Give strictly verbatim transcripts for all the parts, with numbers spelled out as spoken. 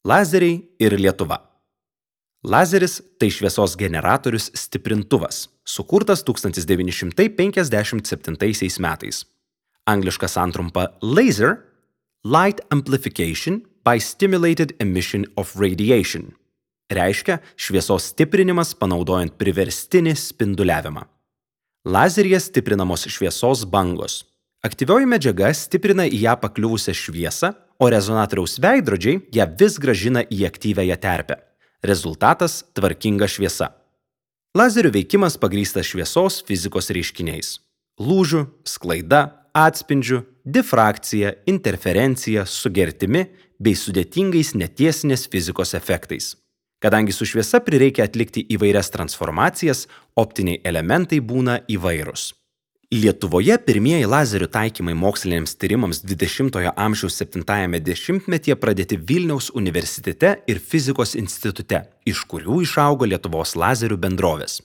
Lazeriai ir Lietuva. Lazeris – tai šviesos generatorius stiprintuvas, sukurtas tūkstantis devyni šimtai penkiasdešimt septintaisiais metais. Angliška santrumpa laser – light amplification by stimulated emission of radiation. Reiškia šviesos stiprinimas panaudojant priverstinį spinduliavimą. Lazeryje stiprinamos šviesos bangos. Aktyvioji medžiaga stiprina į ją pakliuvusią šviesą, o rezonatoriaus veidrodžiai ją vis grąžina į aktyviąją terpę. Rezultatas – tvarkinga šviesa. Lazerių veikimas pagrįstas šviesos fizikos reiškiniais. Lūžių, sklaida, atspindžių, difrakcija, interferencija, sugertimi bei sudėtingais netiesinės fizikos efektais. Kadangi su šviesa prireikia atlikti įvairias transformacijas, optiniai elementai būna įvairūs. Lietuvoje pirmieji lazerių taikymai moksliniams tyrimams dvidešimtojo amžiaus septintajame dešimtmetyje pradėti Vilniaus universitete ir fizikos institute, iš kurių išaugo Lietuvos lazerių bendrovės.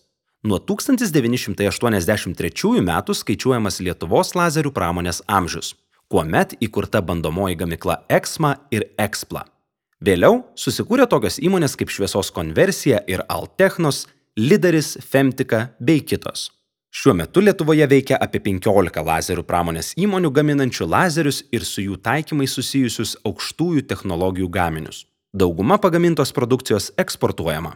Nuo tūkstantis devyni šimtai aštuoniasdešimt trečiųjų metų skaičiuojamas Lietuvos lazerių pramonės amžius, kuomet įkurta bandomoji gamykla Exma ir Expla. Vėliau susikūrė tokios įmonės kaip Šviesos konversija ir Altechnos, Lidaris, Femtika bei kitos. Šiuo metu Lietuvoje veikia apie penkiolika lazerių pramonės įmonių gaminančių lazerius ir su jų taikymais susijusius aukštųjų technologijų gaminius. Dauguma pagamintos produkcijos eksportuojama.